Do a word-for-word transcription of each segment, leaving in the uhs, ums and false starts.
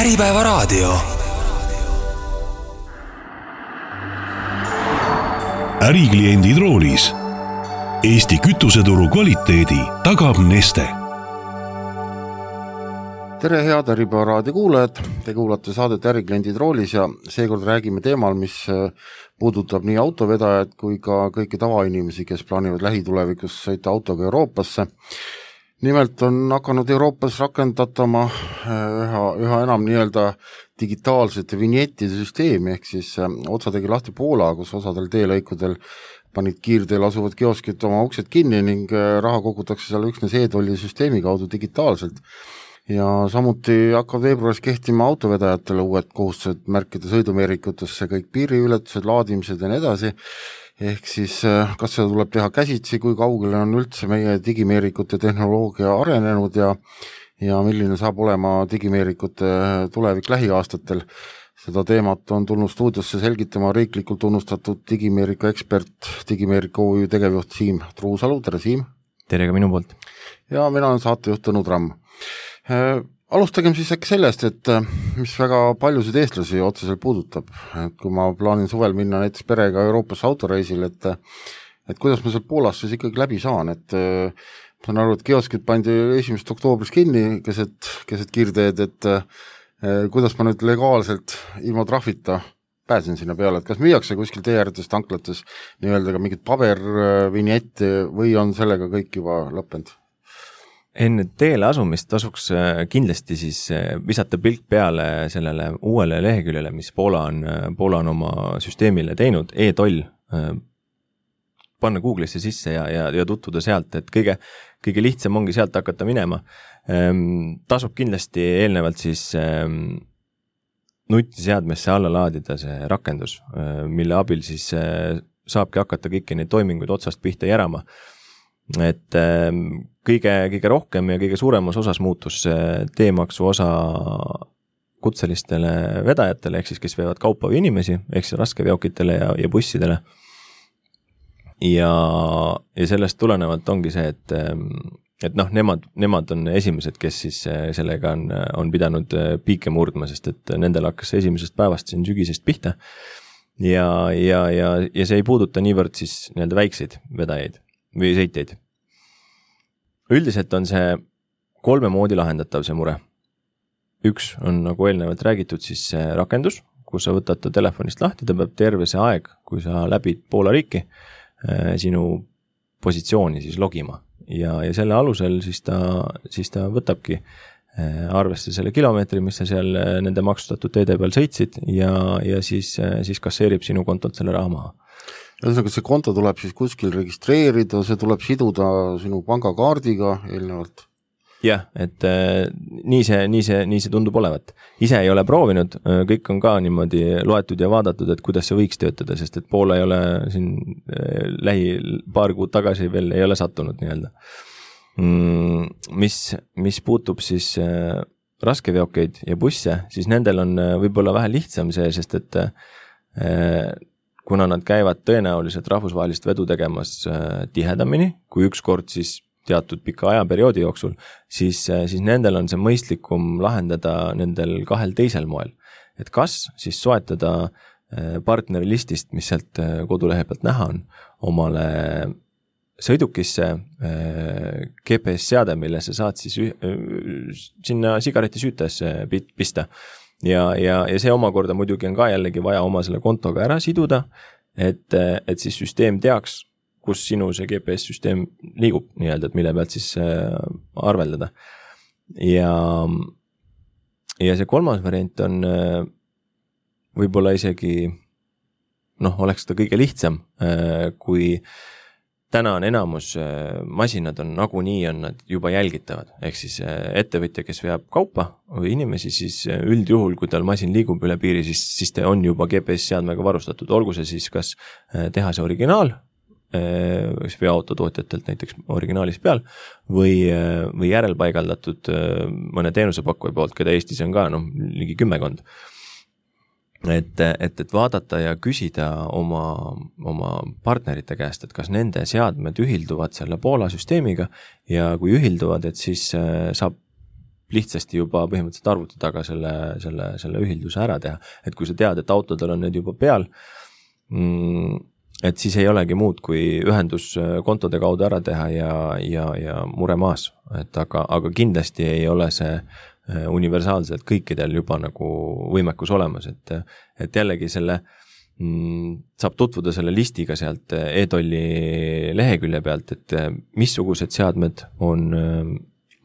Äripäevaraadio. Ärikliendid roolis. Eesti kütuseturu kvaliteedi tagab Neste. Tere head Äripäevaraadio kuulajad, te kuulate saadet Ärikliendid roolis ja seekord räägime teemal, mis puudutab nii autovedajad kui ka kõiki tavainimesi, kes plaanivad lähitulevikus sõita autoga Euroopasse. Nimelt on hakanud Euroopas rakendatama üha, üha enam nii-öelda digitaalsete vinjettide süsteemi, ehk siis otsa tegi lahti Poola, kus osadel teelõikudel panid kiirteel asuvad kioskid oma uksed kinni ning raha kogutakse seal üksnes e-tolli süsteemi kaudu digitaalselt. Ja samuti hakkavad veebruaris kehtima autovedajatele uued kohustused märkida sõidumeerikutesse kõik piiriületused, laadimised ja nii edasi. Ehk siis kas seda tuleb teha käsitsi, kui kaugele on üldse meie digimeerikute tehnoloogia arenenud ja, ja milline saab olema digimeerikute tulevik lähiaastatel. Seda teemat on tulnud stuudiosse selgitama riiklikult tunnustatud digimeeriku ekspert, digimeeriku O Ü tegevjuht Siim Truusalu. Tere Siim! Tere ka minu poolt! Ja mina olen saatejuht Tõnu Tramm. Alustagem siis äkki sellest, et mis väga paljusid eestlasi otseselt puudutab. Et kui ma plaanin suvel minna näiteks perega Euroopasse autoreisil, et, et kuidas ma seal Poolas siis ikkagi läbi saan. Et ma saan aru, et kioskid pandi esimesest oktoobris kinni keset, keset kiirteed, et kuidas ma nüüd legaalselt ilma trahvita pääsen sinna peale, et kas müüakse kuskil tee ääretes tanklates nii-öelda ka mingit pabervinjetti või on sellega kõik juba lõppenud? Enne teele asumist tasuks kindlasti siis visata pilk peale sellele uuele leheküljele, mis Poola on, Poola on oma süsteemile teinud, e-toll, panna Google'isse sisse ja, ja, ja tutvuda sealt, et kõige, kõige lihtsam ongi sealt hakata minema. Tasub kindlasti eelnevalt siis nutiseadmesse alla laadida see rakendus, mille abil siis saabki hakata kõiki neid toiminguid otsast pihta järama. Et kõige, kõige rohkem ja kõige suuremas osas muutus teemaksu osa kutselistele vedajatele, ehk siis kes veevad kaupa või inimesi, ehk siis raskeveokitele ja, ja bussidele. Ja, ja sellest tulenevalt ongi see, et, et noh, nemad, nemad on esimesed, kes siis sellega on, on pidanud piike murdma, sest et nendel hakkas esimesest päevast siin sügisest pihta. Ja, ja, ja, ja see ei puuduta niivõrd siis nii-öelda väikseid vedajaid või sõitjaid. Üldiselt on see kolme moodi lahendatav see mure. Üks on, nagu eelnevalt räägitud, siis see rakendus, kus sa võtad ta telefonist lahti, ta peab terve see aeg, kui sa läbid Poola riiki, sinu positsiooni siis logima. Ja, ja selle alusel siis ta, siis ta võtabki arvesse selle kilomeetri, mis sa seal nende maksustatud teede peal sõitsid ja, ja siis, siis kasseerib sinu kontolt selle raha maha. Ühesõnaga, see konto tuleb siis kuskil registreerida, see tuleb siduda sinu pangakaardiga eelnevalt? Jah, et äh, nii, see, nii, see, nii see tundub olevat. Ise ei ole proovinud, kõik on ka niimoodi loetud ja vaadatud, et kuidas see võiks töötada, sest et Poola ei ole siin äh, lähi paar kuud tagasi veel ei ole sattunud nii-öelda. Mm, mis, mis puutub siis äh, raskeveokeid ja busse, siis nendel on äh, võib-olla vähe lihtsam see, sest et äh, kuna nad käivad tõenäoliselt rahvusvahelist vedu tegemas tihedamini, kui üks kord siis teatud pika ajaperioodi jooksul, siis, siis nendel on see mõistlikum lahendada nendel kahel teisel moel. Et kas siis soetada partneri listist, mis sealt kodulehe pealt näha on, omale sõidukisse G P S-seade, mille sa saad siis sinna sigareti süütesse pista. Ja, ja, ja see omakorda muidugi on ka jällegi vaja oma selle kontoga ära siduda, et, et siis süsteem teaks, kus sinu see G P S-süsteem liigub nii-öelda, et mille pealt siis arveldada. Ja, ja see kolmas variant on võib-olla isegi, noh, oleks ta kõige lihtsam, kui täna on enamus masinad on nagunii on nad juba jälgitavad, ehk siis ettevõtja, kes veab kaupa või inimesi, siis üldjuhul, kui tal masin liigub üle piiri, siis, siis ta on juba G P S-seadmega varustatud, olgu see siis kas teha see originaal, veoautotootjatelt näiteks originaalis peal, või, või järelpaigaldatud mõne teenusepakkuja poolt, keda Eestis on ka no, ligi kümmekond. Et, et, et vaadata ja küsida oma, oma partnerite käest, et kas nende seadmed ühilduvad selle Poola süsteemiga ja kui ühilduvad, et siis saab lihtsasti juba põhimõtteliselt arvuti taga selle, selle, selle ühilduse ära teha. Et kui sa tead, et autodel on need juba peal, et siis ei olegi muud kui ühendus kontode kaudu ära teha ja, ja, ja mure maas. Et aga, aga kindlasti ei ole see universaalselt kõikidel juba nagu võimekus olemas, et, et jällegi selle saab tutvuda selle listiga sealt e-tolli lehekülje pealt, et missugused seadmed on,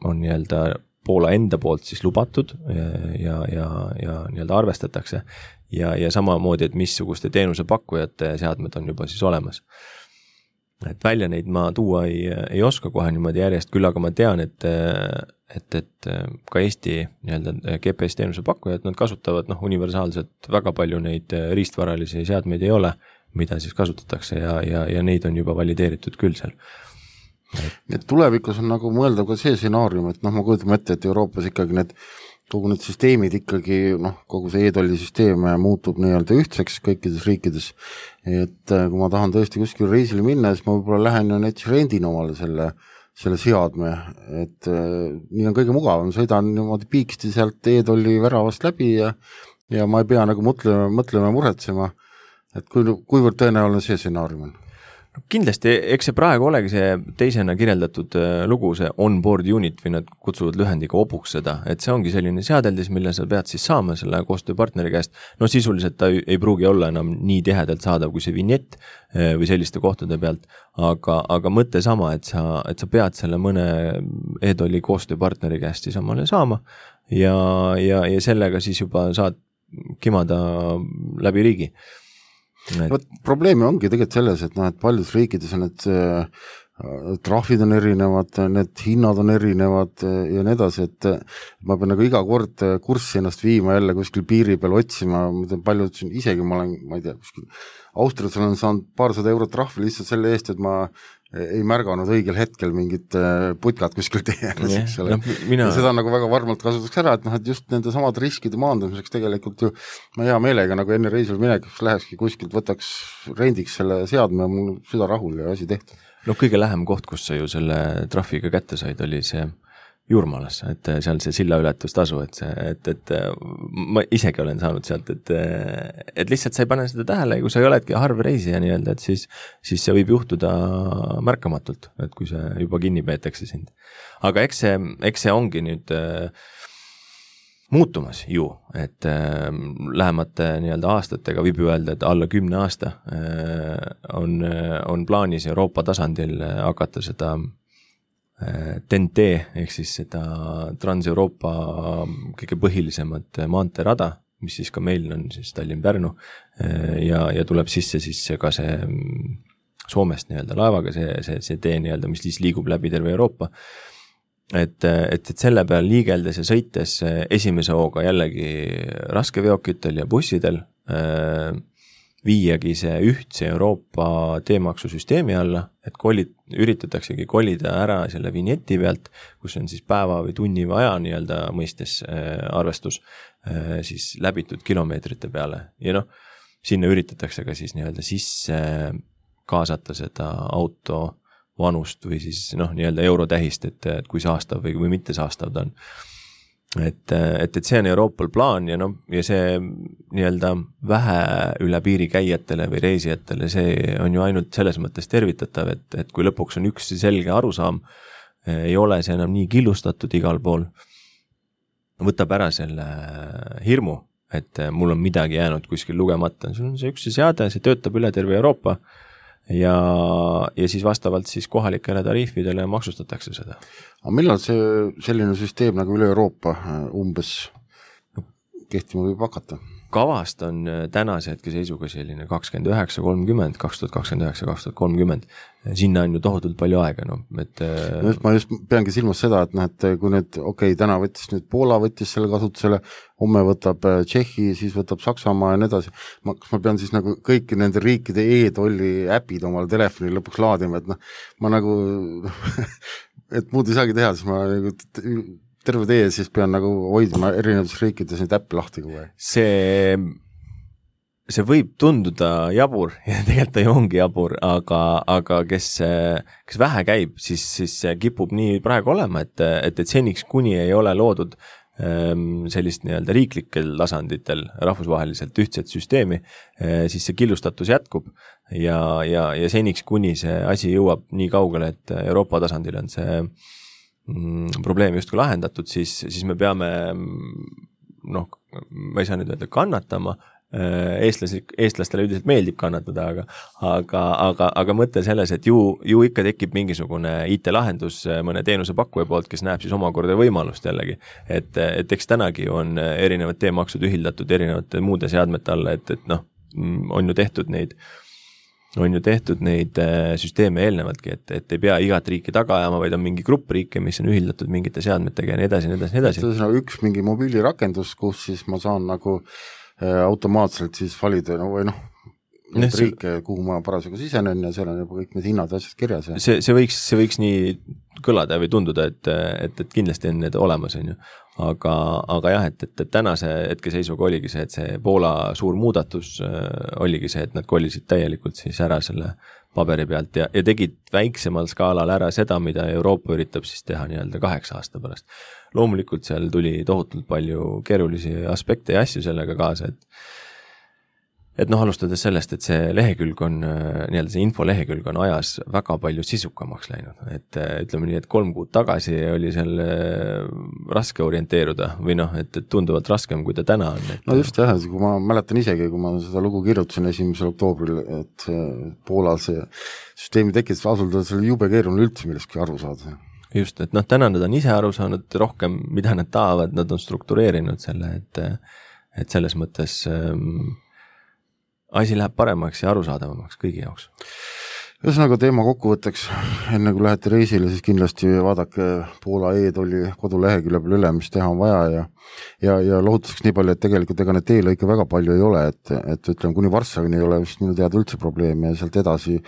on nii-öelda Poola enda poolt siis lubatud ja, ja, ja nii-öelda arvestatakse ja, ja samamoodi, et missuguste teenusepakkujate seadmed on juba siis olemas. Et välja neid ma tuua ei, ei oska kohe niimoodi järjest, küll aga ma tean, et et, et ka Eesti nii-öelda G P S teenuse pakkujad, nad kasutavad noh, universaalselt väga palju neid riistvaralisi seadmeid ei ole, mida siis kasutatakse ja, ja, ja neid on juba valideeritud küll seal. Et tulevikus on nagu mõeldav ka see stsenaarium, et noh, ma kujutame ette, et Euroopas ikkagi need kogu need süsteemid ikkagi, noh, kogu see e-tolli süsteem muutub nii-öelda ühtseks kõikides riikides, et kui ma tahan tõesti kuskil reisile minna, siis ma võib-olla lähen ja näiteks rendin omale selle selle seadme, et äh, nii on kõige mugavam, sõidan niimoodi piiksti sealt e-tolli väravast läbi ja, ja ma ei pea nagu mõtlema, mõtlema muretsema, et kui, kuivõrd tõenäoline see stsenaarium on. Kindlasti, eks see praegu olegi see teisena kirjeldatud lugu, see on-board unit või nad kutsuvad lühendiga obuks seda, et see ongi selline seadeldis, mille sa pead siis saama selle koostööpartneri käest. No sisuliselt ta ei pruugi olla enam nii tihedalt saadav kui see vinjett või selliste kohtade pealt, aga, aga mõte sama, et sa, et sa pead selle mõne e-tolli koostööpartneri käest siis omale saama ja, ja, ja sellega siis juba saad kimada läbi riigi. Et... Võt, probleemi ongi tegelikult selles, et, noh, et paljudes riikides on need äh, trahvid on erinevad, need hinnad on erinevad ja nii edasi, et ma pean nagu iga kord kurssi ennast viima jälle kuskil piiri peal otsima, palju ütlesin, isegi ma olen, ma ei tea, kuskil Austrias olen saanud paarsada eurot trahvi lihtsalt selle eest, et ma ei märganud õigel hetkel mingit putkat kuskil teemas, eks ole. No, mina... seda nagu väga varmalt kasutaks ära, et noh, et just nende samad riskide maandamiseks tegelikult ju ma hea meelega nagu enne reisil minekuks lähekski kuskilt, võtaks rendiks selle seadme ja mul süda rahul ja asi tehtud. No kõige lähem koht, kus sa ju selle trahviga kätte said, oli see Juurmaalas, et seal see silla ületustasu, et see, et, et ma isegi olen saanud sealt, et, et lihtsalt sa ei pane seda tähele, kui sa ei oledki harv reisija nii-öelda, et siis, siis see võib juhtuda märkamatult, et kui see juba kinni peetakse sind. Aga eks see, eks see ongi nüüd äh, muutumas ju, et äh, lähemate nii-öelda aastatega võib ju öelda, et alla kümne aasta äh, on, on plaanis Euroopa tasandil hakata seda T N T ehk siis seda Trans-Euroopa kõige põhilisemat maanteerada, mis siis ka meil on siis Tallinn-Pärnu ja, ja tuleb sisse siis ka see Soomest nii-öelda laevaga, see, see, see tee nii-öelda, mis siis liigub läbi terve Euroopa. Et, et, et selle peal liigeldes ja sõites esimese hooga jällegi raskeveokitel ja bussidel viiagi see ühtse Euroopa teemaksusüsteemi alla, et kolid, üritataksegi kolida ära selle vinjeti pealt, kus on siis päeva või tunni või aja nii-öelda mõistes äh, arvestus äh, siis läbitud kilomeetrite peale. Ja noh, sinna üritatakse ka siis nii-öelda sisse kaasata seda auto vanust või siis noh, nii-öelda eurotähist, et, et kui saastav või, või mitte saastav ta on. Et, et, et see on Euroopal plaan ja, no, ja see nii-öelda vähe üle piiri käijatele või reisijatele, see on ju ainult selles mõttes tervitatav, et, et kui lõpuks on üks selge arusaam, ei ole see enam nii killustatud igal pool, võtab ära selle hirmu, et mul on midagi jäänud kuskil lugemata, see on see üks seade, see töötab üle terve Euroopa ja, ja siis vastavalt siis kohalikele tariifidele maksustatakse seda. Aga millal see selline süsteem nagu üle Euroopa umbes kehtima võib hakata? Kavast on tänase hetke seisuga selline kakskümmend üheksa kolmkümmend, kaks tuhat kakskümmend üheksa kaks tuhat kolmkümmend. Sinna on ju tohutult palju aega, no, et no, ma just peangi silmas seda, et, noh, et kui nüüd, okei, okay, täna võttis nüüd Poola võttis selle kasutusele, homme võtab Tšehhi, siis võtab Saksamaa ja nii edasi. Ma, kas ma pean siis nagu kõiki nende riikide e-tolli äpid omale telefoni lõpuks laadima, et noh, ma nagu et muud ei saagi teha, siis ma nagu terve tee, siis pean nagu hoidma erinevates riikides neid äppi lahti kogu aeg. See see võib tunduda jabur ja tegelikult ta ju ongi jabur, aga, aga kes, kes vähe käib, siis, siis kipub nii praegu olema, et, et, et seniks kuni ei ole loodud sellist nii-öelda riiklikel tasanditel rahvusvaheliselt ühtset süsteemi, siis see killustatus jätkub ja, ja, ja seniks kuni see asi jõuab nii kaugele, et Euroopa tasandil on see mm, probleem justkui lahendatud, siis, siis me peame, noh, ma ei saa nüüd öelda kannatama, Eestlasi, eestlastele üldiselt meeldib kannatada, aga, aga, aga, aga mõte selles, et ju, ju ikka tekib mingisugune I T-lahendus mõne teenuse pakkuja poolt, kes näeb siis omakorda võimalust jällegi. Et, et eks tänagi on erinevad teemaksud ühildatud erinevate muude seadmete alla, et, et noh, on ju tehtud neid, on ju tehtud neid süsteeme eelnevaltki, et, et ei pea igat riiki taga ajama, vaid on mingi grupp riike, mis on ühildatud mingite seadmetega ja nii edasi, nii edasi, nii edasi. See on üks mingi mobiilirakendus, kus siis ma saan nagu automaatselt siis valida no, või noh, neid see, riike, kuhu ma parasjagu sisenen ja seal on juba kõik need hinnad asjad kirjas. Ja. See, see, võiks, see võiks nii kõlada või tunduda, et, et, et kindlasti on need olemas, on ju. Aga, aga jah, et, et, et tänase hetkeseisuga oligi see, et see Poola suur muudatus oligi see, et nad kolisid täielikult siis ära selle paberi pealt ja, ja tegid väiksemal skaalal ära seda, mida Euroopa üritab siis teha nii-öelda kaheksa aasta pärast. Loomulikult seal tuli tohutult palju keerulisi aspekte ja asju sellega kaasa, et et noh, alustades sellest, et see lehekülg on, nii-öelda see info lehekülg on ajas väga palju sisukamaks läinud, et ütleme nii, et kolm kuud tagasi oli seal raske orienteeruda või noh, et, et tunduvalt raskem, kui ta täna on. Et... No just jah, kui ma mäletan isegi, kui ma seda lugu kirjutasin esimesel oktoobril, et Poolal see süsteemi tekkis, asuldades oli jube keeruline üldse millestki aru saada. Just, et noh, täna nad on ise aru saanud rohkem, mida nad tahavad, nad on struktureerinud selle, et, et selles mõttes ähm, asi läheb paremaks ja arusaadavamaks kõigi jaoks. Ühesõnaga teema kokkuvõtteks, enne kui lähete reisile, siis kindlasti vaadake Poola e-tolli kodulehekülje peal üle, mis teha on vaja ja, ja, ja lohutuseks nii palju, et tegelikult ega need teelõike väga palju ei ole, et, et ütleme, kuni Varssavini ei ole vist minu teada üldse probleemi ja sealt edasi,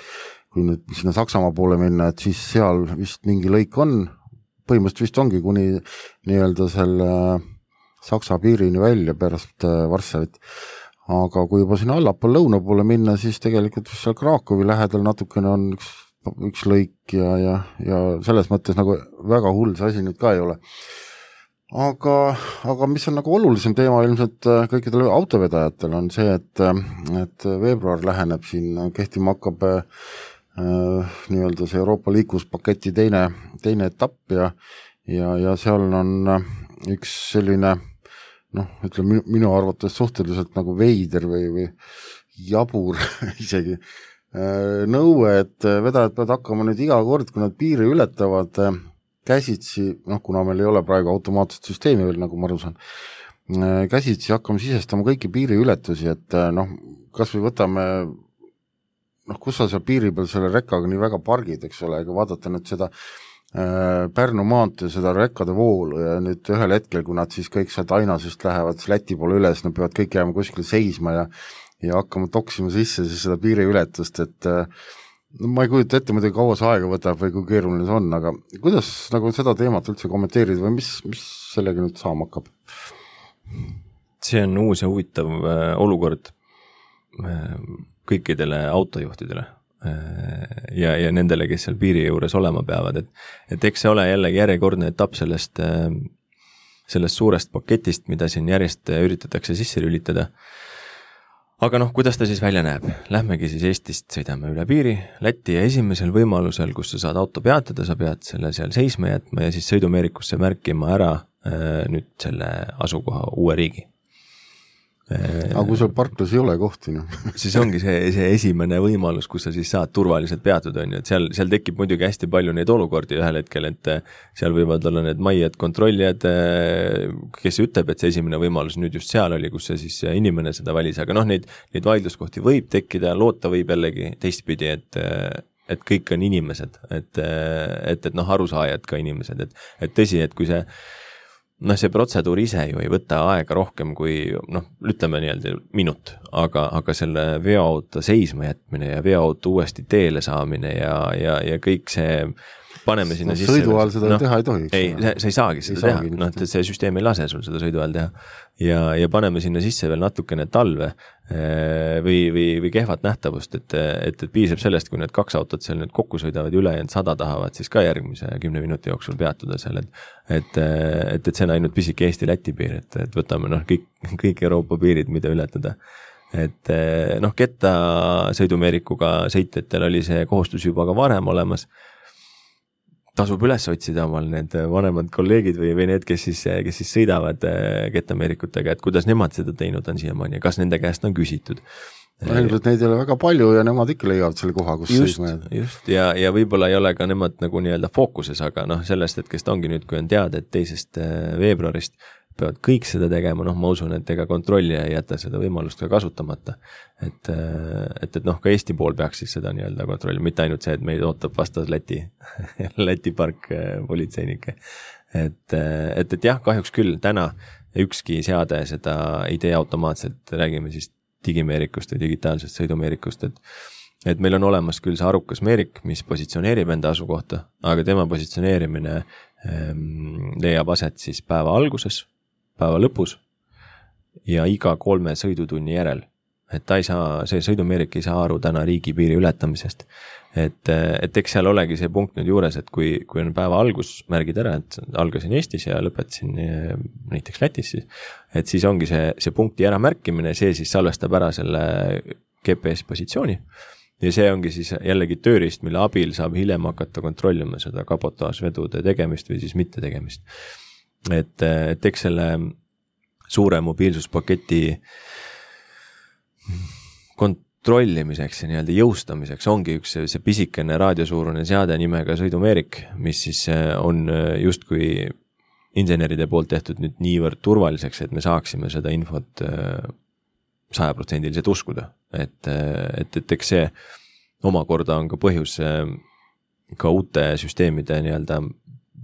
kui nüüd sinna Saksamaa poole minna, et siis seal vist mingi lõik on, põhimõtteliselt vist ongi kuni nii-öelda selle Saksa piirini välja pärast Varssavit. Aga kui juba sinna allapool lõuna poole minna, siis tegelikult seal Krakowi lähedal natukene on üks, üks lõik ja, ja, ja selles mõttes nagu väga hull see asi nüüd ka ei ole. Aga, aga mis on nagu olulisem teema ilmselt kõikidele autovedajatel on see, et, et veebruar läheneb siin, kehtima hakkab äh, nii-öelda see Euroopa liikluspaketi teine, teine etapp ja, ja, ja seal on üks selline noh, ütleme minu arvates suhteliselt nagu veider või, või jabur isegi nõue, et vedajad peavad hakkama nüüd iga kord, kui nad piiri ületavad käsitsi, noh, kuna meil ei ole praegu automaatset süsteemi veel, nagu ma aru saan, käsitsi hakkama sisestama kõiki piiriületusi, et noh, kas või võtame, noh, kus sa seal piiri peal selle rekkaga nii väga pargid, eks ole, ega vaadata nüüd seda Pärnu maantee seda rekkade voolu ja nüüd ühel hetkel, kui nad siis kõik sealt Ainasest lähevad Läti poole üles, nad peavad kõik jääma kuskile seisma ja, ja hakkama toksima sisse siis seda piiriületust, et no, ma ei kujuta ette, muidugi kaua see aega võtab või kui keeruline see on, aga kuidas nagu seda teemat üldse kommenteerida või mis, mis sellega nüüd saama hakkab? See on uus ja huvitav olukord kõikidele autojuhtidele. Ja, ja nendele, kes seal piiri juures olema peavad, et, et eks see ole jällegi järjekordne etapp sellest, sellest suurest paketist, mida siin järjest üritatakse sisse lülitada. Aga noh, kuidas ta siis välja näeb? Lähmegi siis Eestist, sõidame üle piiri, Läti ja esimesel võimalusel, kus sa saad auto peatada, sa pead selle seal seisma jätma ja siis sõidumeerikusse märkima ära nüüd selle asukoha uue riigi. Aga kui seal parklas ei ole kohti, no. siis ongi see, see esimene võimalus, kus sa siis saad turvaliselt peatuda, on ju, et seal, seal tekib muidugi hästi palju neid olukordi ühel hetkel, et seal võivad olla need majjad kontrollijad, kes ütleb, et see esimene võimalus nüüd just seal oli, kus see siis inimene seda valis, aga noh, neid, neid vaidluskohti võib tekkida, loota võib jällegi teistpidi, et et kõik on inimesed, et, et, et noh, arusaajad ka inimesed, et, et tõsi, et kui see noh, see protseduur ise ju ei võta aega rohkem kui, noh, ütleme nii-öelda minut, aga, aga selle veoauto seisma jätmine ja veoauto uuesti teele saamine ja, ja, ja kõik see paneme sinna no, sisse. Sõidu ajal seda no, teha ei tohi. Ei, sa, sa ei saagi seda ei teha, noh, et see süsteem ei lase sul seda sõidu ajal teha. Ja, ja paneme sinna sisse veel natukene talve või, või, või kehvat nähtavust, et, et, et piisab sellest, kui need kaks autot seal nüüd kokku sõidavad üle ja sada tahavad, siis ka järgmise kümne minuti jooksul peatuda seal, et, et, et, et see on ainult pisik Eesti-Läti piir, et, et võtame noh, kõik, kõik Euroopa piirid, mida ületada. Et noh, ketta sõidumeerikuga sõitjatel oli see kohustus juba ka varem olemas. Tasub üles otsida omal need vanemad kolleegid või, või need, kes siis, kes siis sõidavad kettameerikutega, et kuidas nemad seda teinud on siiamaani ja kas nende käest on küsitud. No, ilmselt neid ei ole väga palju ja nemad ikka leiavad selle koha, kus just, sõisma. Just, ja, ja võib-olla ei ole ka nemad nagu nii-öelda fookuses, aga noh, sellest, et kes ta ongi nüüd, kui on teada, et teisest veebruarist peavad kõik seda tegema, noh, ma usun, et ega kontrollija ei jäta seda võimalust ka kasutamata. Et, et, et noh, ka Eesti pool peaks siis seda nii-öelda kontrolli, mitte ainult see, et meid ootab vastas Läti, Läti park politseinike. Et, et, et jah, kahjuks küll täna ükski seade seda ei tee automaatselt, räägime siis digimeerikust või digitaalsest sõidumeerikust, et et meil on olemas küll see arukas meerik, mis positsioneerib enda asukohta, aga tema positsioneerimine ähm, leiab aset siis päeva alguses, päeva lõpus ja iga kolme sõidutunni järel. Et ta ei saa, see sõidumeerik ei saa aru täna riigipiiri ületamisest. Et, et eks seal olegi see punkt nüüd juures, et kui, kui on päeva algus märgid ära, et algasin Eestis ja lõpetasin näiteks Lätis, et siis ongi see, see punkti ära märkimine, see siis salvestab ära selle G P S positsiooni ja see ongi siis jällegi tööriist, mille abil saab hiljem hakata kontrollima seda kabotaasvedude tegemist või siis mitte tegemist. Et, et eks selle suure mobiilsuspaketi kontrollimiseks ja nii-öelda jõustamiseks ongi üks see, see pisikene raadiosuurune seade nimega sõidumeerik, mis siis on justkui inseneride poolt tehtud nüüd niivõrd turvaliseks, et me saaksime seda infot sajaprotsendiliselt uskuda. Et, et, et eks see omakorda on ka põhjus ka uute süsteemide nii-öelda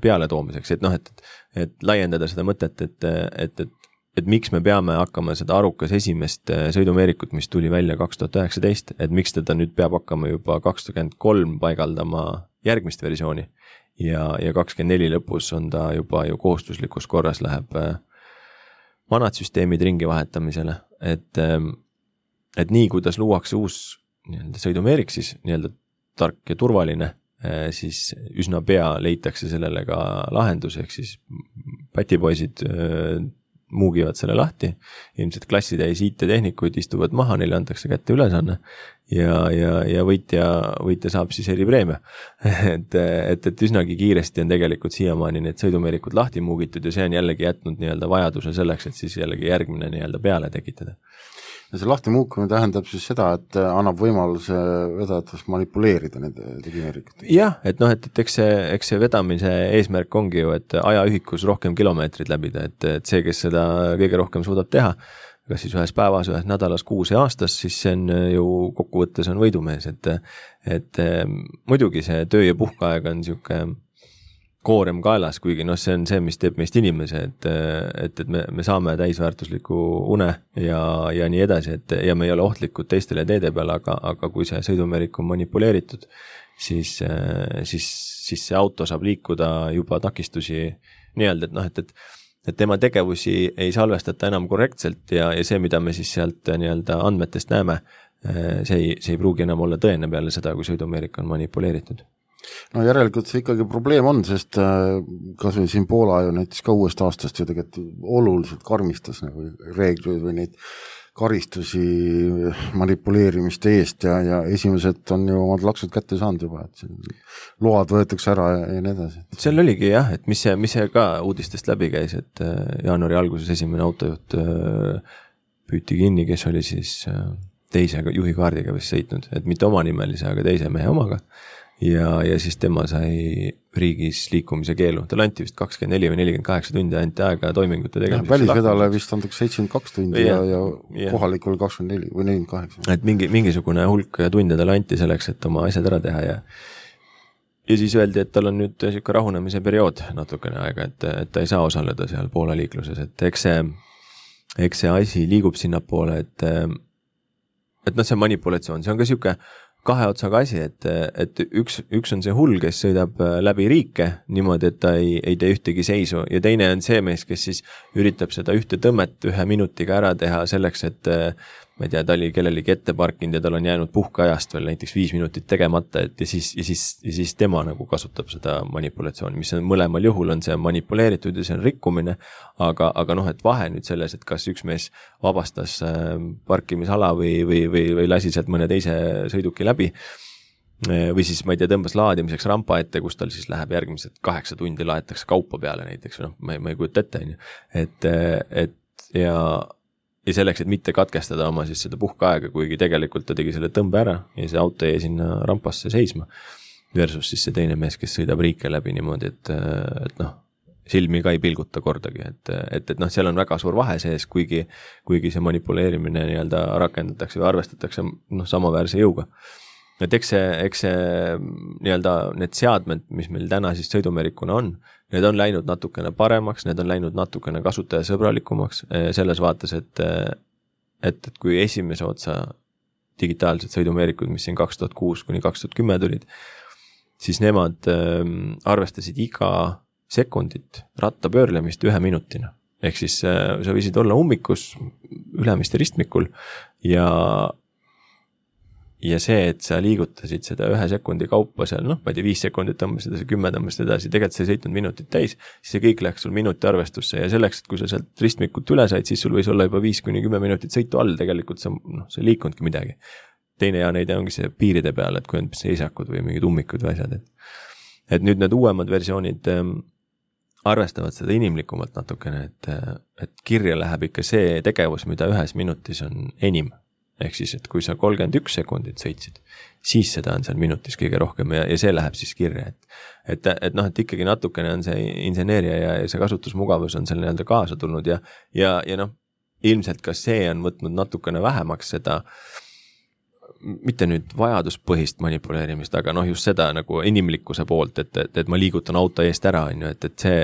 peale toomiseks, et noh, et, et laiendada seda mõtet, et, et, et, et miks me peame hakkama seda arukas esimest sõidumeerikut, mis tuli välja kaks tuhat üheksateist, et miks teda nüüd peab hakkama juba kakskümmend kolm paigaldama järgmist versiooni ja, ja kakskümmend neli lõpus on ta juba ju kohustuslikus korras läheb vanad süsteemid ringi vahetamisele, et, et nii, kuidas luuakse uus nii-öelda sõidumeerik, siis nii-öelda tark ja turvaline, siis üsna pea leitakse sellele ka lahendus, ehk siis patipoisid muugivad selle lahti, ilmselt klassitäis I T-tehnikuid istuvad maha, neile antakse kätte ülesanne ja, ja, ja võitja, võitja saab siis eripreemia. et, et, et üsnagi kiiresti on tegelikult siiamaani need sõidumeerikud lahti muugitud ja see on jällegi jätnud nii-öelda vajaduse selleks, et siis jällegi järgmine nii-öelda peale tekitada. Ja see lahti muukumine tähendab siis seda, et annab võimaluse vedajatest manipuleerida nende digimeerikut. Jah, et noh, et, et eks, see, eks see vedamise eesmärk ongi ju, et ajaühikus rohkem kilomeetrid läbida, et, et see, kes seda kõige rohkem suudab teha, kas siis ühes päevas, ühes nädalas, kuus ja aastas, siis see on ju kokkuvõttes on võidumees, et, et muidugi see töö ja puhkaaeg on niisugune koorem kaelas, kuigi noh, see on see, mis teeb meist inimese, et, et, et me, me saame täisväärtusliku une ja, ja nii edasi, et ja me ei ole ohtlikud teistele teede peale, aga, aga kui see sõidumeerik on manipuleeritud, siis, siis, siis see auto saab liikuda juba takistusi nii-öelda, et noh, et, et, et tema tegevusi ei salvestata enam korrektselt ja, ja see, mida me siis sealt nii-öelda andmetest näeme, see ei, see ei pruugi enam olla tõene peale seda, kui sõidumeerik on manipuleeritud. No järelikult see ikkagi probleem on, sest kas või siin Poola ju näiteks ka uuest aastast ju tegelikult oluliselt karmistas nagu reeglid või neid karistusi manipuleerimiste eest ja, ja esimesed on ju omad laksud kätte saanud juba, et load võetakse ära ja, ja nii edasi. Seal oligi jah, et mis see, mis see ka uudistest läbi käis, et jaanuari alguses esimene autojuht püüti kinni, kes oli siis teise juhikaardiga vist sõitnud, et mitte oma nimelise, aga teise mehe omaga. Ja, ja siis tema sai riigis liikumise keelu. Tal anti vist kakskümmend neli või nelikümmend kaheksa tundi anti aega toimingute tegemiseks. Välisvedale vist antakse seitsekümmend kaks tundi ja, ja, ja kohalikul kakskümmend neli või nelikümmend kaheksa. Et mingi, mingisugune hulk tunde tal anti selleks, et oma asjad ära teha ja ja siis öeldi, et tal on nüüd selline rahunemise periood natukene aega, et, et ta ei saa osaleda seal Poola liikluses, et eks see, eks see asi liigub sinna poole, et et noh, see manipulatsioon, see on ka selline kahe otsaga asi, et, et üks, üks on see hull, kes sõidab läbi riike niimoodi, et ta ei, ei tee ühtegi seisu ja teine on see mees, kes siis üritab seda ühte tõmmet ühe minutiga ära teha selleks, et ma ei tea, ta oli kellelegi ette parkinud ja tal on jäänud puhkeajast veel näiteks viis minutit tegemata, et ja siis, ja siis, ja siis tema nagu kasutab seda manipulatsiooni, mis on mõlemal juhul on see manipuleeritud ja see on rikkumine, aga, aga noh, et vahe nüüd selles, et kas üks mees vabastas parkimisala või, või, või, või lasi sealt mõne teise sõiduki läbi või siis, ma ei tea, tõmbas laadimiseks rampa ette, kus tal siis läheb järgmised kaheksa tundi laetakse kaupa peale näiteks, noh, ma ei, ma ei kujuta ette, et, et ja ja selleks, et mitte katkestada oma siis seda puhkeaega, kuigi tegelikult ta tegi selle tõmbe ära ja see auto jäi sinna rampasse seisma versus siis see teine mees, kes sõidab riike läbi niimoodi, et, et noh, silmi ka ei pilguta kordagi, et, et, et noh, seal on väga suur vahe sees, kuigi, kuigi see manipuleerimine nii-öelda rakendatakse või arvestatakse noh, samaväärse jõuga. Et eks see, eks see nii-öelda need seadmed, mis meil täna siis sõidumerikuna on, need on läinud natukene paremaks, need on läinud natukene kasutajasõbralikumaks selles vaates, et, et, et kui esimese otsa digitaalsed sõidumeerikud, mis siin kaks tuhat kuus kuni kaks tuhat kümme tulid, siis nemad arvestasid iga sekundit ratta pöörlemist ühe minutina. Ehk siis sa võisid olla ummikus ülemiste ristmikul ja Ja see, et sa liigutasid seda ühe sekundi kaupa seal, noh, ma ei tea, viis sekundit tõmbasid edasi, kümme tõmbasid edasi, tegelikult see seitnud minutit täis, siis see kõik läks sul minuti arvestusse ja selleks, et kui sa sealt ristmikult üle said, siis sul võis olla juba viis kuni kümme minutit sõitu all, tegelikult sa, noh, see liikunudki midagi. Teine ja neide ongi see piiride peal, et kui on seisakud või mingid ummikud või asjad, et, et nüüd need uuemad versioonid ähm, arvestavad seda inimlikumalt natukene, et, et kirja läheb ikka see tegevus, mida ühes minutis on enim. Ehk siis, et kui sa kolmkümmend üks sekundit sõitsid, siis seda on seal minutis kõige rohkem ja, ja see läheb siis kirja. Et, et, et noh, et ikkagi natukene on see inseneeria ja, ja see kasutusmugavus on seal nii-öelda kaasa tulnud ja, ja, ja noh, ilmselt ka see on võtnud natukene vähemaks seda, mitte nüüd vajaduspõhist manipuleerimist, aga noh, just seda nagu inimlikkuse poolt, et, et, et ma liigutan auto eest ära, et, et see,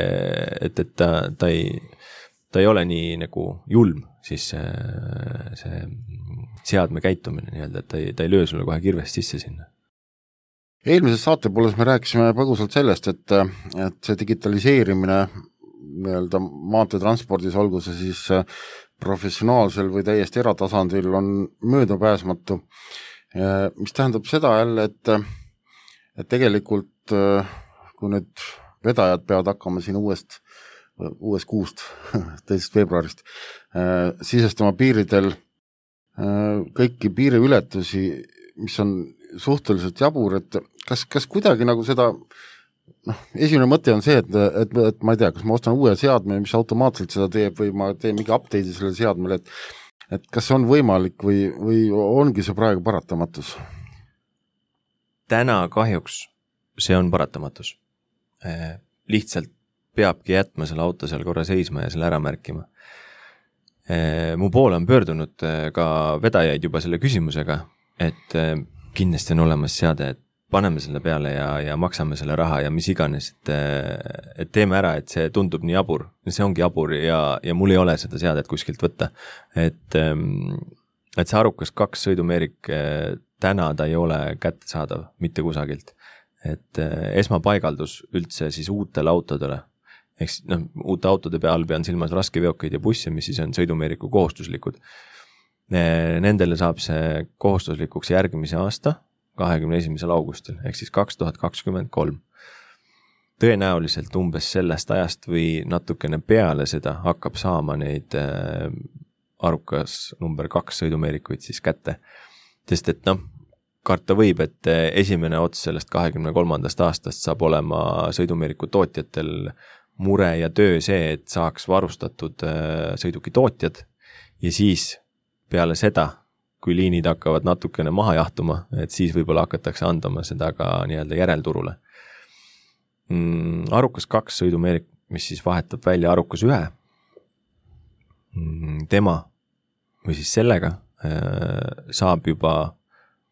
et, et ta, ta ei, ta ei ole nii nagu julm, siis see, see seadme käitumine nii-öelda, et ta ei, ta ei löö sulle kohe kirvest sisse sinna. Eelmises saatepooles me rääkisime põgusalt sellest, et, et see digitaliseerimine nii-öelda maanteetranspordis, olgu see siis professionaalsel või täiesti eratasandil on möödapääsmatu, mis tähendab seda jälle, et, et tegelikult kui nüüd vedajad peavad hakkama siin uuest uuest kuust, teisest veebruarist, sisestama piiridel kõiki piiriületusi, mis on suhteliselt jabur, et kas, kas kuidagi nagu seda, noh, esimene mõte on see, et, et, et ma ei tea, kas ma ostan uue seadme, mis automaatselt seda teeb või ma teen mingi update'i sellele seadmele, et, et kas see on võimalik või, või ongi see praegu paratamatus? Täna kahjuks see on paratamatus. Lihtsalt peabki jätma selle auto seal korra seisma ja selle ära märkima. Mu poole on pöördunud ka vedajaid juba selle küsimusega, et kindlasti on olemas seade, et paneme selle peale ja, ja maksame selle raha ja mis iganes, et, et teeme ära, et see tundub nii jabur. See ongi jabur ja, ja mul ei ole seda seadet kuskilt võtta. Et, et see Arukas kaks sõidumeerik täna ta ei ole kätte saadav mitte kusagilt. Et esmapaigaldus üldse siis uutele autodele. Eks noh, uute autode peal pean silmas raskeveokeid ja busse, mis siis on sõidumeeriku kohustuslikud. Nendele saab see kohustuslikuks järgmise aasta, kahekümne esimesel augustil, ehk siis kaks tuhat kakskümmend kolm. Tõenäoliselt umbes sellest ajast või natukene peale seda hakkab saama neid Arukas number kaks sõidumeerikuid siis kätte. Sest et noh, karta võib, et esimene ots sellest kahekümne kolmandast aastast saab olema sõidumeeriku tootjatel mure ja töö see, et saaks varustatud sõiduki tootjad ja siis peale seda, kui liinid hakkavad natukene maha jahtuma, et siis võib-olla hakatakse andama seda ka nii-öelda järelturule. Arukas kaks sõidumeerik, mis siis vahetab välja Arukas ühe, tema või siis sellega saab juba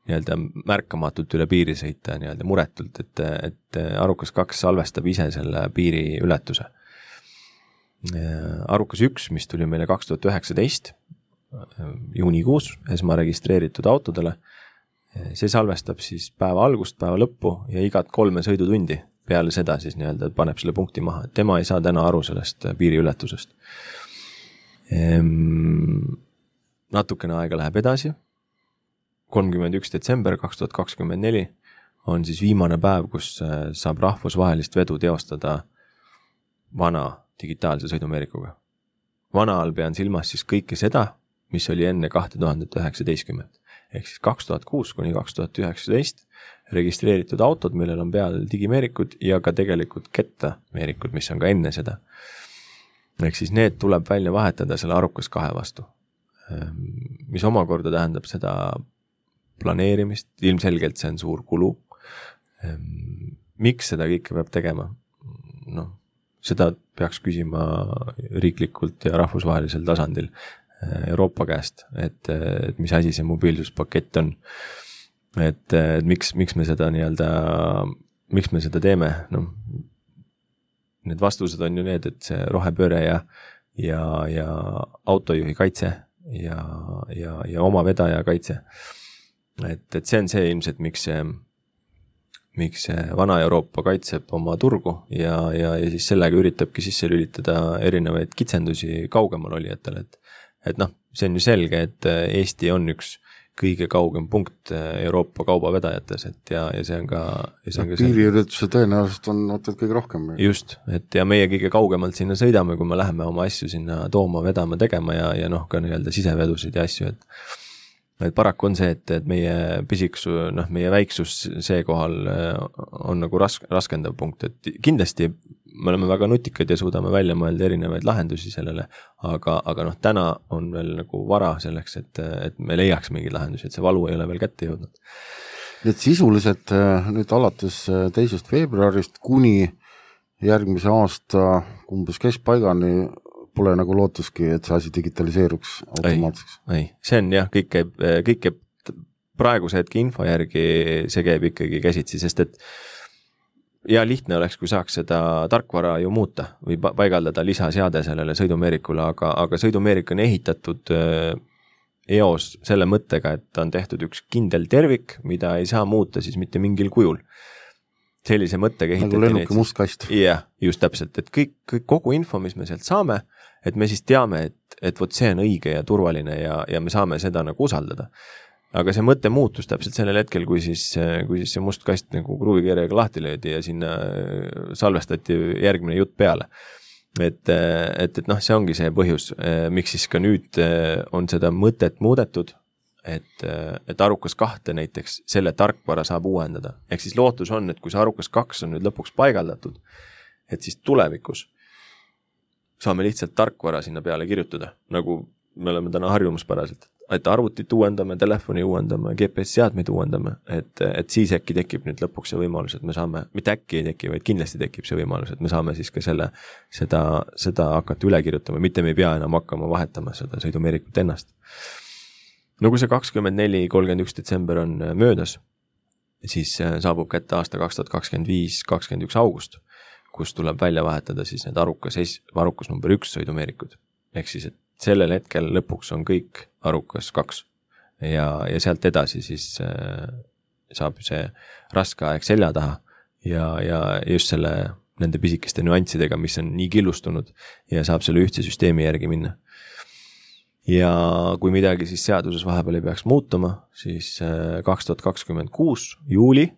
nii-öelda märkamatult üle piiri sõita nii-öelda muretult, et, et Arukas kaks salvestab ise selle piiri ületuse. Arukas üks, mis tuli meile kaks tuhat üheksateist juunikuus esma registreeritud autodele, see salvestab siis päeva algust, päeva lõppu ja igat kolme sõidutundi peale seda siis nii-öelda paneb selle punkti maha, et tema ei saa täna aru sellest piiriületusest. Ehm, natukene aega läheb edasi, kolmkümmend üks detsember kaks tuhat kakskümmend neli on siis viimane päev, kus saab rahvusvahelist vedu teostada vana digitaalse sõidumeerikuga. Vana all pean silmas siis kõike seda, mis oli enne kaks tuhat üheksateistkümmet. Ehk siis kaks tuhat kuus kuni kaks tuhat üheksateist registreeritud autod, millel on peal digimeerikud ja ka tegelikult kettameerikud, mis on ka enne seda. Ehk siis need tuleb välja vahetada selle arukas kahe vastu. Mis omakorda tähendab seda planeerimist, ilmselgelt see on suur kulu. Miks seda kõike peab tegema? No, seda peaks küsima riiklikult ja rahvusvahelisel tasandil Euroopa käest, et, et mis asi see mobiilsuspakett on. Et, et miks, miks me seda nii-öelda, miks me seda teeme? No, need vastused on ju need, et see rohepööre ja, ja, ja autojuhi kaitse ja, ja, ja oma vedaja kaitse. Et, et see on see ilmselt, miks see, miks see vana Euroopa kaitseb oma turgu ja, ja, ja siis sellega üritabki sisse lülitada erinevaid kitsendusi kaugemal olijatele, et et noh, see on ju selge, et Eesti on üks kõige kaugem punkt Euroopa kaubavedajates, et ja, ja see on ka... Piiriületuse tõenäoliselt on ootad kõige rohkem. Just, et ja meie kõige kaugemalt sinna sõidame, kui me läheme oma asju sinna tooma, vedama, tegema ja, ja noh, ka nii-öelda sisevedusid ja asju, et et paraku on see, et, et meie pisiksu, noh, meie väiksus see kohal on nagu rask, raskendav punkt, et kindlasti me oleme väga nutikad ja suudame välja mõelda erinevaid lahendusi sellele, aga, aga noh, täna on veel nagu vara selleks, et, et me leiaks mingi lahendusi, et see valu ei ole veel kätte jõudnud. Et sisuliselt nüüd alates teisest veebruarist kuni järgmise aasta umbes keskpaigani pole nagu lootuski, et see asi digitaliseeruks automaatseks. Ei, ei, see on jah, kõik käib, kõik käib praeguse hetke info järgi, see käib ikkagi käsitsi, sest et ja lihtne oleks, kui saaks seda tarkvara ju muuta või paigaldada lisaseade sellele sõidumeerikule, aga, aga sõidumeerik on ehitatud eos selle mõttega, et ta on tehtud üks kindel tervik, mida ei saa muuta siis mitte mingil kujul. Sellise mõttega ehitati nagu lennuki mustkast. Jah, just täpselt, et kõik, kõik, kogu info, mis me sealt saame, et me siis teame, et, et võt see on õige ja turvaline ja, ja me saame seda nagu usaldada. Aga see mõte muutus täpselt sellel hetkel, kui siis, kui siis see must kast nagu kruuvikirjaga lahti löödi ja sinna salvestati järgmine jutt peale. Et, et, et noh, see ongi see põhjus, miks siis ka nüüd on seda mõtet muudetud, et, et arukas kahte näiteks selle tarkvara saab uuendada. Ehk siis lootus on, et kui see arukas kaks on nüüd lõpuks paigaldatud, et siis tulevikus saame lihtsalt tarkvara sinna peale kirjutada, nagu me oleme täna harjumuspäraselt, et arvutit uuendame, telefoni uuendame, G P S-seadmeid uuendame, et, et siis äkki tekib nüüd lõpuks see võimalus, et me saame, mitte äkki ei teki, vaid kindlasti tekib see võimalus, et me saame siis ka selle, seda, seda hakata üle kirjutama, mitte me ei pea enam hakkama vahetama seda sõidumeerikut ennast. No kui see kakskümmend neli kolmkümmend üks detsember on möödas, siis saabub kätte aasta kaks tuhat kakskümmend viis kakskümmend üks august, kus tuleb välja vahetada siis need arukas, arukas number üks sõidumeerikud. Ehk siis, et sellel hetkel lõpuks on kõik arukas kaks ja, ja sealt edasi siis äh, saab see raske aeg selja taha ja, ja just selle nende pisikeste nüanssidega, mis on nii killustunud ja saab selle ühtse süsteemi järgi minna. Ja kui midagi siis seaduses vahepeal ei peaks muutuma, siis äh, kaks tuhat kakskümmend kuus juuli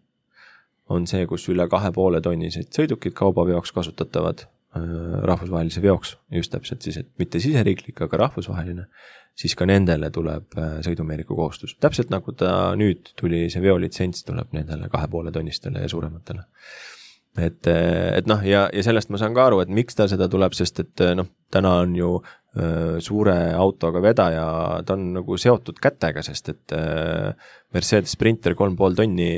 on see, kus üle kahe poole tonnised sõidukid kaubaveoks kasutatavad rahvusvahelise veoks, just täpselt siis, et mitte siseriiklik, aga rahvusvaheline, siis ka nendele tuleb sõidumeeriku kohustus. Täpselt nagu ta nüüd tuli, see veolitsents tuleb nendele kahe poole tonnistele ja suurematele. Et, et noh, ja, ja sellest ma saan ka aru, et miks ta seda tuleb, sest et noh, täna on ju äh, suure autoga vedaja, ta on nagu seotud kätega, sest et äh, Mercedes Sprinter kolm pool tonni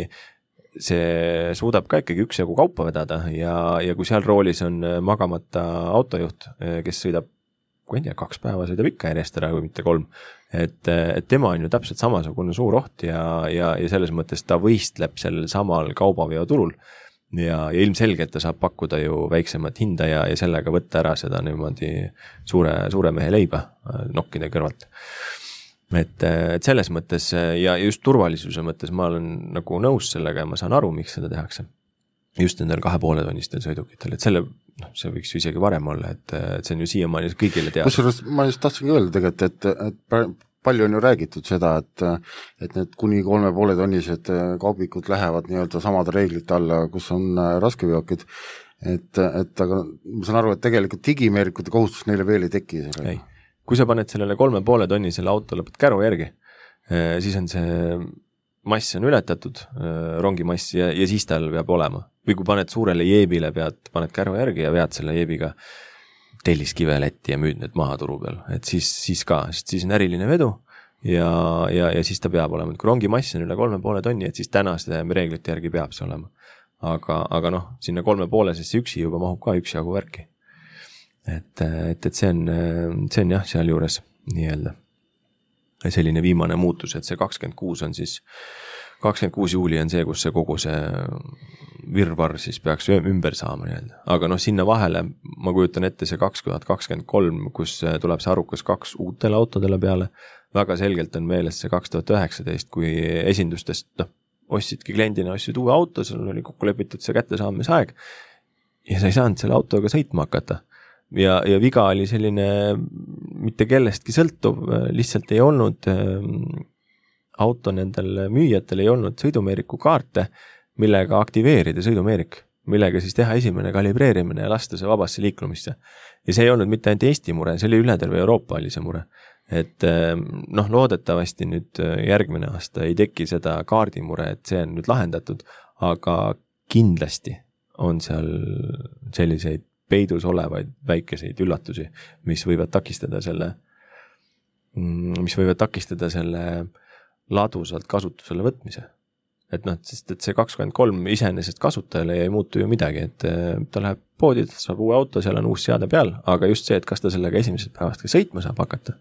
see suudab ka ikkagi üksjagu kaupa vedada ja, ja kui seal roolis on magamata autojuht, kes sõidab, kui ei tea, kaks päeva sõidab ikka järjest ära, kui mitte kolm, et, et tema on ju täpselt samasugune suur oht ja, ja, ja selles mõttes ta võistleb sellel samal kaubaveoturul ja, ja ilmselgelt ta saab pakkuda ju väiksemat hinda ja, ja sellega võtta ära seda niimoodi suure, suure mehe leiba nokkide kõrvalt. et, et selles mõttes ja just turvalisuse mõttes ma olen nagu nõus sellega ja ma saan aru, miks seda tehakse. Just nendel kahe poole tonnistel sõidukitel, et selle, noh, see võiks ju isegi varem olla, et, et see on ju siiamaani kõigile teada. Kusjuures ma just tahtsingi öelda tegelikult, et, et palju on ju räägitud seda, et, et need kuni kolme poole tonnised kaubikud lähevad nii-öelda samade reeglite alla, kus on raskeveokid, et, et aga ma saan aru, et tegelikult digimeerikute kohustus neile veel ei teki. Ei. Kui sa paned sellele kolme poole tonnisele auto lõpet käru järgi, siis on see mass on ületatud, rongi mass ja, ja siis tal peab olema. Või kui paned suurele jeebile, pead, paned käru järgi ja vead selle jeebiga telliskive Lätti ja müüd need maha turu peal, et siis, siis ka, sest siis on äriline vedu ja, ja, ja siis ta peab olema. Et kui rongi mass on üle kolme poole tonni, et siis tänaste reeglite järgi peab see olema. Aga, aga noh, sinna kolme poole sesse üksi juba mahub ka üks jagu värki. Et, et, et see on, see on jah, seal juures nii-öelda selline viimane muutus, et see kakskümmend kuus on siis, kakskümmend kuus juuli on see, kus see kogu see virvar siis peaks ümber saama nii-öelda. Aga noh, sinna vahele ma kujutan ette see kaks tuhat kakskümmend kolm, kus tuleb see arukas kaks uutele autodele peale. Väga selgelt on meeles see kaks tuhat üheksateist, kui esindustest, noh, ostsidki kliendina, ostsid uue auto, seal oli kokku lepitud see kättesaamise aeg ja sa ei saanud selle autoga sõitma hakata. Ja, ja viga oli selline mitte kellestki sõltuv, lihtsalt ei olnud ähm, auto nendel müüjatel ei olnud sõidumeeriku kaarte, millega aktiveerida sõidumeerik, millega siis teha esimene kalibreerimine ja lasta see vabasse liiklumisse. Ja see ei olnud mitte ainult Eesti mure, see oli üle terve Euroopa oli see mure. Et ähm, noh, loodetavasti nüüd järgmine aasta ei teki seda kaardimure, et see on nüüd lahendatud, aga kindlasti on seal selliseid peidus olevaid väikeseid üllatusi, mis võivad takistada selle, mis võivad takistada selle ladusalt kasutusele võtmise. Et noh, sest et see kakskümmend kolm iseenesest kasutajale ei muutu ju midagi, et ta läheb poodi, ta saab uue auto, seal on uus seade peal, aga just see, et kas ta sellega esimesest päevast ka sõitma saab hakata.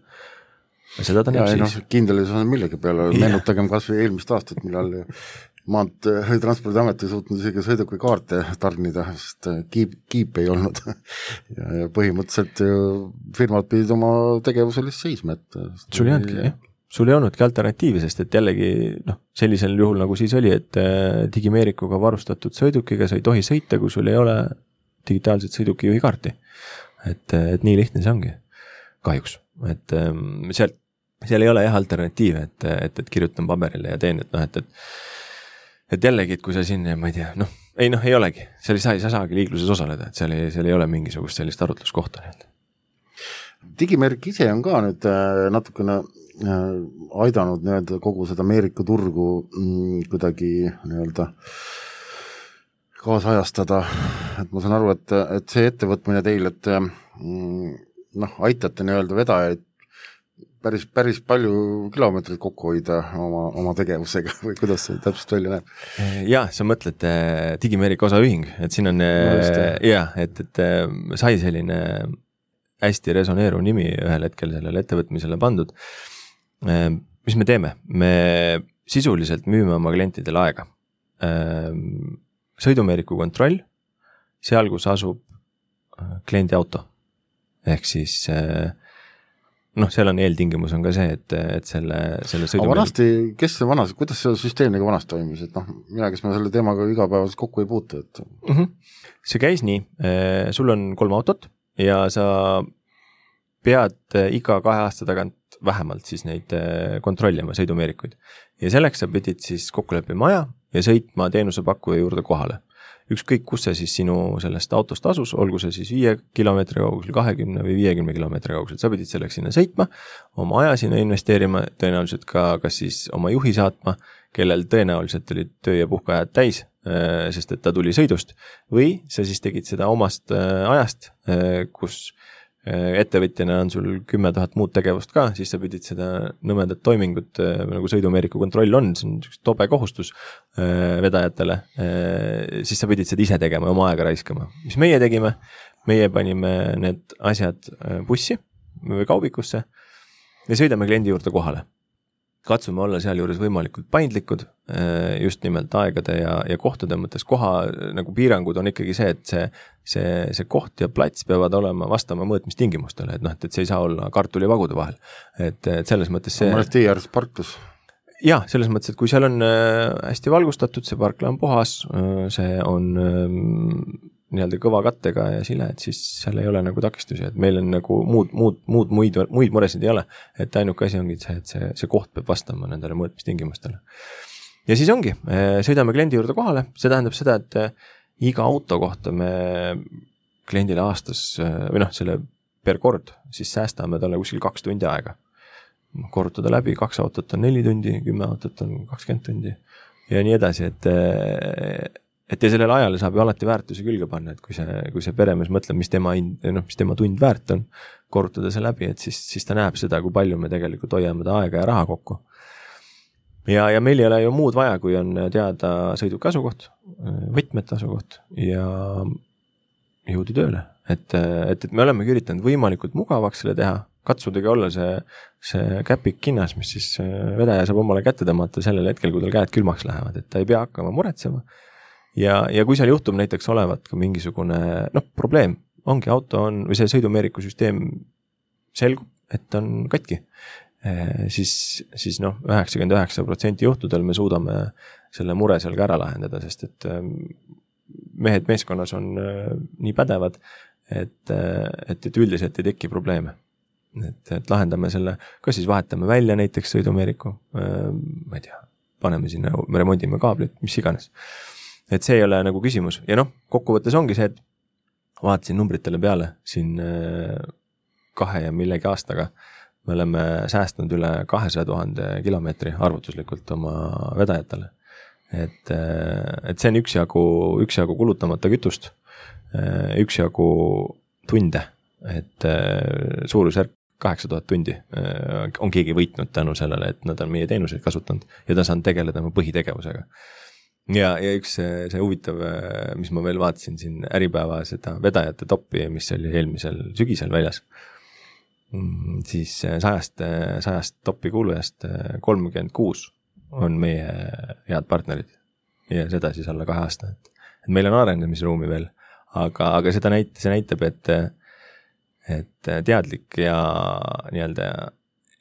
Ja seda ta näeb siis. No, kindelisus on millegi peale, meenutagem kas või eelmist aastat, millal maant transpordiamet ei suutnud isegi sõiduki kaarte tarnida, sest kiip, kiip ei olnud ja, ja põhimõtteliselt firmad pidid oma tegevusel seisma. Et sul ei olnudki, jah. Sul ei olnudki alternatiivi, sest et jällegi noh, sellisel juhul nagu siis oli, et digimeerikuga varustatud sõidukiga sa ei tohi sõita, kui sul ei ole digitaalset sõidukijuhi kaarti. Et, et nii lihtne see ongi, kahjuks. Et seal, seal ei ole jah alternatiive, et, et, et kirjutan paberile ja teen, et noh, et, et et jällegi, et kui sa siin, ma ei tea, noh, ei noh, ei olegi, seal ei saa, sa saagi liikluses osaleda, et seal ei, seal ei ole mingisugust sellist arutluskohta. Digimeerik ise on ka nüüd natukene aidanud nii-öelda kogu seda Ameerika turgu kuidagi nii-öelda kaasajastada, et ma saan aru, et, et see ettevõtmine teil, et noh, aitate nii-öelda vedajaid päris, päris palju kilomeetreid kokku hoida oma, oma tegevusega või kuidas see täpselt välja näeb? Ja, sa mõtled digimeerika osaühing, et siin on ja, et, et sai selline hästi resoneeruv nimi ühel hetkel sellele ettevõtmisele pandud. Mis me teeme? Me sisuliselt müüme oma klientidele aega. Sõidumeeriku kontroll, seal kus asub kliendi auto. Ehk siis noh, seal on eeltingimus on ka see, et, et selle, selle sõidumeeriku... Aga vanasti, kes see vanas, kuidas see süsteemiga vanast toimis? Et noh, mina, kes ma selle teemaga igapäevas kokku ei puutu. Et... Mm-hmm. See käis nii, sul on kolm autot ja sa pead iga kahe aasta tagant vähemalt siis neid kontrollima sõidumeerikuid. Ja selleks sa pidid siis kokku leppima aja ja sõitma teenusepakkuja juurde kohale. Ükskõik, kus see siis sinu sellest autost asus, olgu see siis viie kilomeetri kaugusel, kahekümne või viiekümne kilomeetri kaugusel, sa pidid selleks sinna sõitma, oma aja sinna investeerima, tõenäoliselt ka kas siis oma juhi saatma, kellel tõenäoliselt olid töö- ja puhkaajad täis, sest et ta tuli sõidust, või sa siis tegid seda omast ajast, kus ettevõtjana on sul kümme tuhat muud tegevust ka, siis sa pidid seda nõmendat toimingut, nagu sõidumeeriku kontroll on, see on tobe kohustus vedajatele, siis sa pidid seda ise tegema ja oma aega raiskama. Mis meie tegime? Meie panime need asjad bussi või kaubikusse ja sõidame kliendi juurde kohale. katsume olla seal juures võimalikult paindlikud, just nimelt aegade ja, ja kohtade mõttes. Koha nagu piirangud on ikkagi see, et see, see, see koht ja plats peavad olema vastama mõõtmistingimustele, et noh, et see ei saa olla kartuli vagude vahel. Et, et selles mõttes see... Ma tee ääres parklus. Jah, selles mõttes, et kui seal on hästi valgustatud, see parkla on puhas, see on nii-öelda kõva kattega ja sile, et siis seal ei ole nagu takistusi, et meil on nagu muud, muud, muud muid, muid muresid ei ole, et ainuke asi ongi see, et see, see koht peab vastama nendele mõõtmistingimustele. Ja siis ongi, sõidame kliendi juurde kohale, see tähendab seda, et iga auto kohta me kliendile aastas, või noh, selle per kord, siis säästame talle kuskil kaks tundi aega. Korrutada läbi, kaks autot on neli tundi, kümme autot on kakskümmend tundi ja nii edasi, et et ja sellele ajale saab ju alati väärtuse külge panna, et kui see, kui see peremees mõtleb, mis tema, noh, mis tema tund väärt on, korrutada see läbi, et siis, siis ta näeb seda, kui palju me tegelikult hoiame ta aega ja raha kokku. Ja, ja meil ei ole ju muud vaja, kui on teada sõiduki asukoht, võtmete asukoht ja jõudu tööle. Et, et, et me oleme üritanud võimalikult mugavaks selle teha, katsudagi olla see, see käpik kinnas, mis siis vedaja saab omale kätte tõmmata sellel hetkel, kui tal käed külmaks lähevad, et ta ei pea hakkama muretsema. Ja, ja kui seal juhtub näiteks olevat ka mingisugune noh, probleem, ongi auto on, või see sõidumeeriku süsteem selgub, et on katki, e, siis, siis noh, üheksakümmend üheksa protsenti juhtudel me suudame selle mure seal ka ära lahendada, sest et mehed meeskonnas on nii pädevad, et, et, et üldiselt ei teki probleeme. Et, et lahendame selle, kas siis vahetame välja näiteks sõidumeeriku, ma ei tea, paneme sinna, me remondime kaablit, mis iganes. Et see ei ole nagu küsimus. Ja noh, kokkuvõttes ongi see, et vaatasin numbritele peale siin kahe ja millegi aastaga. Me oleme säästnud üle kahesaja tuhande kilomeetri arvutuslikult oma vedajatele. Et, et see on üksjagu, üksjagu kulutamata kütust, üksjagu tunde, et suurusjärk kaheksa tuhat tundi on keegi võitnud tänu sellele, et nad on meie teenuseid kasutanud ja ta saan tegeleda oma põhitegevusega. Ja, ja üks see, see huvitav, mis ma veel vaatasin siin Äripäeva seda vedajate toppi, mis oli eelmisel sügisel väljas, siis sajast, sajast toppi kuulujast kolmkümmend kuus on meie head partnerid ja seda siis alla kahe aasta. Et meil on arenemisruumi veel, aga, aga seda näit, see näitab, et, et teadlik ja nii-öelda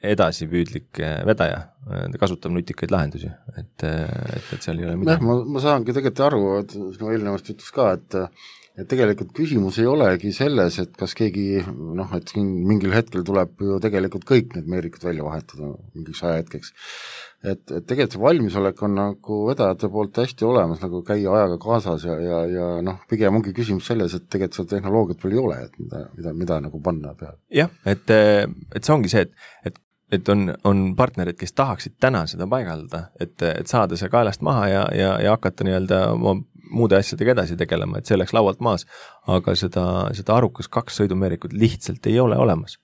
edasipüüdlik vedaja, ta kasutab nutikaid lahendusi, et, et, et seal ei ole midagi. Ma, ma saangi tegelikult aru, et no eelnevast ütlus ka, et, et tegelikult küsimus ei olegi selles, et kas keegi, noh, et mingil hetkel tuleb ju tegelikult kõik need meerikud välja vahetada mingiks ajahetkeks. Et, et tegelikult see valmisolek on nagu vedajate poolt hästi olemas, nagu käia ajaga kaasas ja, ja, ja noh, pigem ongi küsimus selles, et tegelikult seda tehnoloogiat veel ei ole, et mida, mida, mida nagu panna peale. Jah, et, et see ongi see, et, et et on, on partnerid, kes tahaksid täna seda paigaldada, et, et saada see kaelast maha ja, ja, ja hakata nii-öelda muude asjadega edasi tegelema, et see läks laualt maas, aga seda, seda arukas kaks sõidumeerikut lihtsalt ei ole olemas.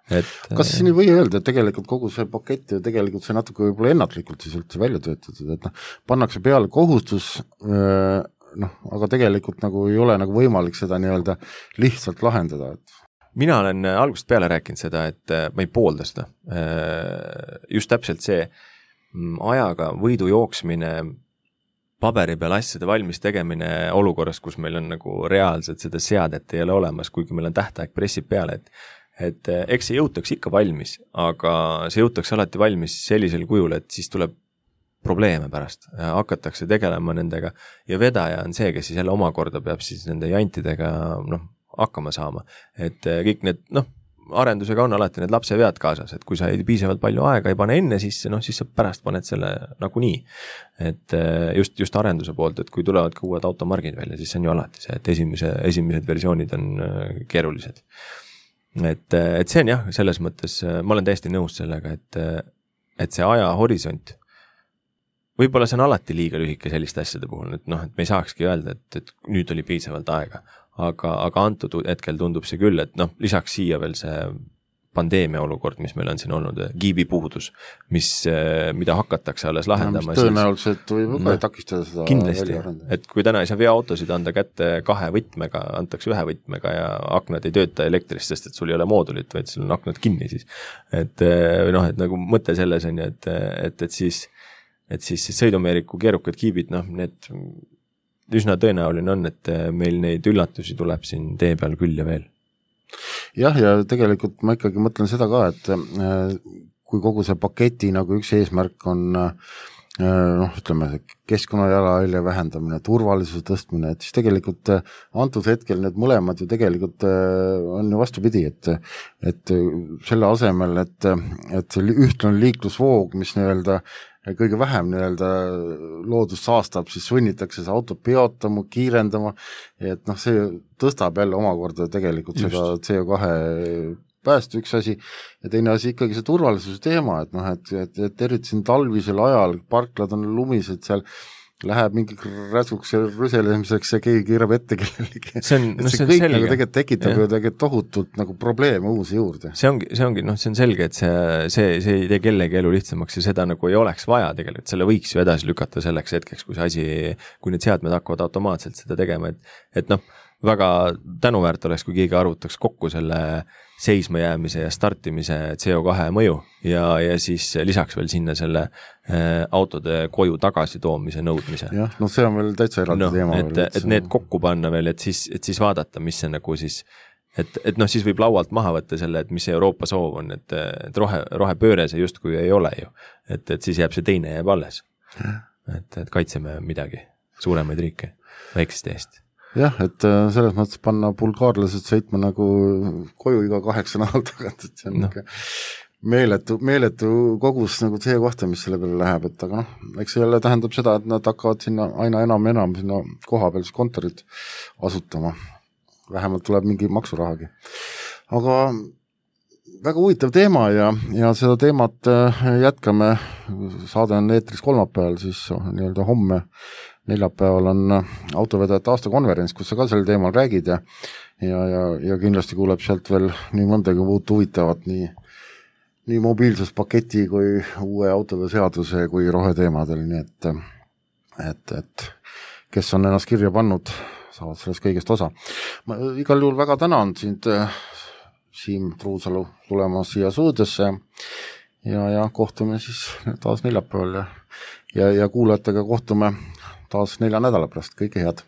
Et, kas siin ei või öelda, et tegelikult kogu see pakett ja tegelikult see natuke võib-olla ennatlikult siis üldse välja töötatud, et noh, pannakse peale kohustus, noh, aga tegelikult nagu ei ole nagu võimalik seda nii-öelda lihtsalt lahendada, et mina olen algusest peale rääkinud seda, et ma ei poolda seda. Just täpselt see ajaga võidu jooksmine, paberi peal asjade valmis tegemine olukorras, kus meil on nagu reaalselt seda seadet ei ole olemas, kuigi meil on tähtaeg pressib peale, et, et eks see jõutaks ikka valmis, aga see jõutaks alati valmis sellisel kujul, et siis tuleb probleeme pärast, hakatakse tegelema nendega ja vedaja on see, kes siis jälle omakorda peab siis nende jantidega, noh, hakkama saama, et kõik need, noh, arendusega on alati need lapse vead kaasas, et kui sa ei piisavalt palju aega ei pane enne sisse, noh, siis sa pärast paned selle nagu nii, et just, just arenduse poolt, et kui tulevad ka uued automargid välja, siis see on ju alati see, et esimese, esimesed versioonid on keerulised. Et, et see on jah, selles mõttes, ma olen täiesti nõus sellega, et, et see aja horisont, võib-olla see on alati liiga lühike selliste asjade puhul, et noh, et me ei saakski öelda, et, et nüüd oli piisavalt aega. Aga, aga antud hetkel tundub see küll, et noh, lisaks siia veel see pandeemia olukord, mis meil on siin olnud, kiibipuudus, mis, mida hakatakse alles lahendama. No, tõenäoliselt võib ka no, takistada seda. Kindlasti, et kui täna ei saa veoautosid anda kätte kahe võtmega, antakse ühe võtmega ja aknad ei tööta elektrist, sest et sul ei ole moodulit, vaid sul on aknad kinni siis. Et noh, et nagu mõte selles on ju, et, et, et siis, et siis sõidumeeriku keerukad kiibid, noh, need üsna tõenäoline on, et meil neid üllatusi tuleb siin tee peal küll ja veel. Jah, ja tegelikult ma ikkagi mõtlen seda ka, et kui kogu see paketi nagu üks eesmärk on noh, ütleme, keskkonnajalajälje vähendamine, turvalisuse tõstmine, et siis tegelikult antud hetkel need mõlemad ju tegelikult on ju vastupidi, et, et selle asemel, et, et see ühtlane liiklusvoog, mis nii-öelda kõige vähem nii-öelda loodust saastab, siis sunnitakse see auto peotama, kiirendama, et noh, see tõstab jälle omakorda tegelikult Just. seda C O kahe päästu üks asi ja teine asi ikkagi see turvalisuse teema, et noh, et, et, et eriti siin talvisel ajal, parklad on lumised seal, läheb mingi räsuks ja rüselemiseks ja keegi kiirab ette kellelegi. See, on, no, see, see kõik selge. Nagu tegelikult tekitab ja. ju tegelikult tohutult nagu probleeme uusi juurde. See ongi, see ongi, noh, see on selge, et see, see, see ei tee kellegi elu lihtsamaks ja seda nagu ei oleks vaja tegelikult, selle võiks ju edasi lükata selleks hetkeks, kui see asi, kui need seadmed hakkavad automaatselt seda tegema, et, et noh, väga tänuväärt oleks, kui keegi arvutaks kokku selle seisma jäämise ja startimise C O kahe mõju ja, ja siis lisaks veel sinna selle äh, autode koju tagasi toomise nõudmise. Jah, no see on veel täitsa eraldi no, teema. Et, et, et need kokku panna veel, et siis, et siis vaadata, mis see nagu siis, et, et noh, siis võib laualt maha võtta selle, et mis see Euroopa soov on, et, et rohe, rohepööre see justkui ei ole ju. Et, et siis jääb see teine jääb alles. Et, et kaitseme midagi, suuremaid riike, väiksest eest. Jah, et selles mõttes panna bulgaarlased sõitma nagu koju iga kaheksa nädal tagant, et see on no. meeletu, meeletu kogus nagu see kohta, mis selle peale läheb, et aga noh, eks see jälle tähendab seda, et nad hakkavad sinna aina enam ja enam sinna koha peal kontorit asutama. Vähemalt tuleb mingi maksurahagi. Aga väga huvitav teema ja, ja seda teemat jätkame, saade on eetris kolmapäeval, siis nii-öelda homme neljapäeval on autovedajate aastakonverents, kus sa ka sel teemal räägid ja, ja, ja, ja kindlasti kuuleb sealt veel nii mõndagi muud huvitavat, nii, nii mobiilsuspaketi kui uue autode seaduse kui roheteemadel, nii et, et, et kes on ennast kirja pannud, saavad sellest kõigest osa. Ma igal juhul väga tänan sind, Siim Truusalu, tulema siia suudesse ja, ja kohtume siis taas neljapäeval ja, ja, ja kuulajatega kohtume taas nelja nädala pärast, kõike head!